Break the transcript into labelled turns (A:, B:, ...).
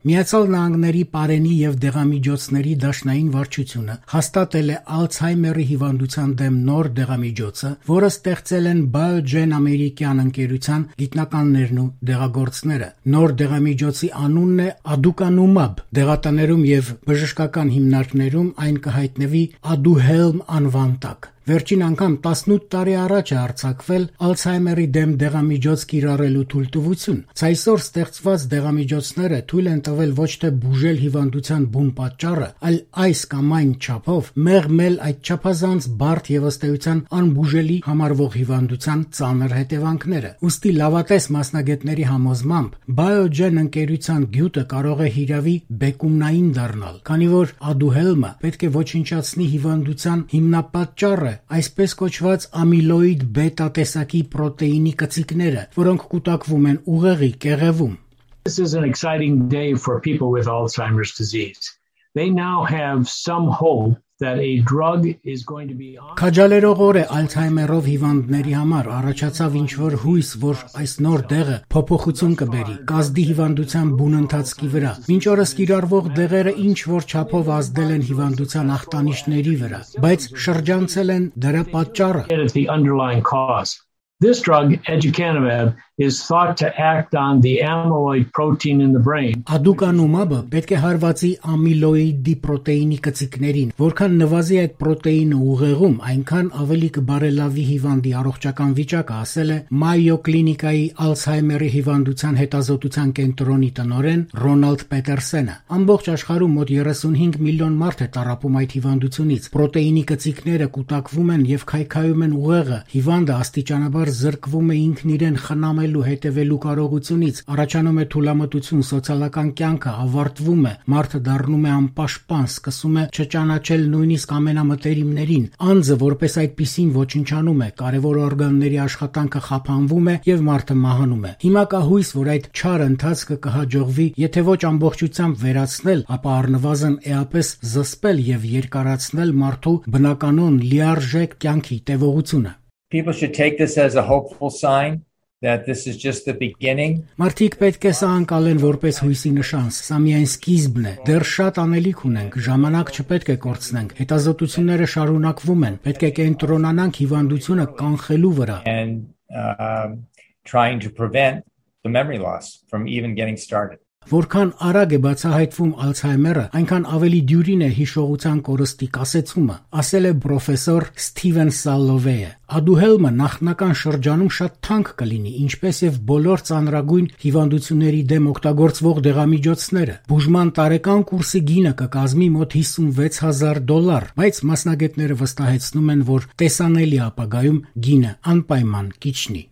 A: Միացյալ Նահանգների պարենի եւ դեղամիջոցների դաշնային վարչությունը հաստատել է Ալցհեյմերի հիվանդության դեմ նոր դեղամիջոցը, որը ստեղծել են Biogen ամերիկյան ընկերության գիտնականներն ու դեղագործները։ Նոր դեղամիջոցի անունն է Aducanumab։ Դեղատներում եւ բժշկական հիմնարկներում այն կհայտնվի Aduhelm անվան տակ։ Վերջին անգամ 18 տարի առաջ է արձակվել Ալցհեյմերի դեմ դեղամիջոց կիրառելու թույլտվություն։ Այսօր ստեղծված դեղամիջոցները թույլ են տվել ոչ թե բուժել հիվանդության բուն պատճառը, այլ այս կամ այն չափով մեղմել այդ չափազանց բարդ եւ ըստ էության անբուժելի համարվող հիվանդության ծանր հետևանքները։ Ուստի լավատես մասնագետների համոզմամբ Biogen ընկերության գյուտը կարող է հիրավի բեկումնային դառնալ, քանի որ Aduhelm-ը պետք է ոչնչացնի հիվանդության հիմնապատճառը, այսպես կոչված ամիլոիդ բետա տեսակի պրոտեինի կծիկները, որոնք կուտակվում են ուղեղի կեղևում։
B: This is an exciting day for people with Alzheimer's disease. They now have some hope that a drug is going to be on.
A: Քաջալերող օր է Ալցհեյմերով հիվանդների համար առաջացավ ինչ-որ հույս, որ այս նոր դեղը փոփոխություն կբերի, կազդի հիվանդության բուն ընթացքի վրա։ Մինչ օրս կիրառվող դեղերը ինչ-որ չափով ազդել են հիվանդության ախտանիշների վրա, բայց շրջանցել են դրա պատճառը։
B: It's the underlying cause. This drug, aducanumab, is thought to act on the amyloid protein in the brain.
A: Aducanumab-ը պետք է հարվածի ամիլոիդի պրոտեինի կծիկներին, որքան նվազի այդ պրոտեինը ուղեղում, այնքան ավելի կբարելավի հիվանդի առողջական վիճակը, ասել է Mayo Clinic-ի Ալցհեյմերի հիվանդության հետազոտության կենտրոնի տնօրեն Ռոնալդ Պետերսենը։ Ամբողջ աշխարհում մոտ 35 միլիոն մարդ է տառապում այդ հիվանդությունից։ Պրոտեինի կծիկները կուտակվում են եւ քայքայում են ուղեղը։ Հիվանդը աստիճանաբար զրկվում է ինքն իրեն խնամելու հետևելու կարողությունից, առաջանում է թուլամտություն, սոցիալական կյանքը ավարտվում է, մարդը դառնում է անպաշտպան, սկսում է չճանաչել նույնիսկ ամենամտերիմներին, անձը որպես այդպիսին ոչնչանում է, կարևոր օրգանների աշխատանքը խափանվում է եւ մարդը մահանում է։ Հիմա կա հույս, որ այդ չար ընթացքը կհաջողվի, եթե ոչ ամբողջությամբ վերացնել, ապա առնվազն էապես զսպել եւ երկարացնել մարդու բնականon լիարժեք կյանքի տևողությունը։
C: People should take this as a hopeful sign that this is just the beginning.
A: Մարդիկ պետք է սա անցալեն որպես հույսի նշան, սա միայն սկիզբն է։ Դեռ շատ անելիք ունենք, ժամանակ չպետք է կորցնենք։ Հետազոտությունները շարունակվում են, պետք է կենտրոնանանք հիվանդությունը կանխելու վրա։
C: And trying to prevent the memory loss from even getting started.
A: Որքան արագ է բացահայտվում Ալցհեյմերը, այնքան ավելի դյուրին է հիշողության կորստի կասեցումը, ասել է պրոֆեսոր Սթիվեն Սալովեյը։ Aduhelm-ը նախնական շրջանում շատ թանկ կլինի, ինչպես եւ բոլոր ծանրագույն հիվանդությունների դեմ օգտագործվող դեղամիջոցները։ Բուժման տարեկան կուրսի գինը կկազմի մոտ $56,000, բայց մասնագետները վստահեցնում են, որ տեսանելի ապագայում գինը անպայման կիջնի։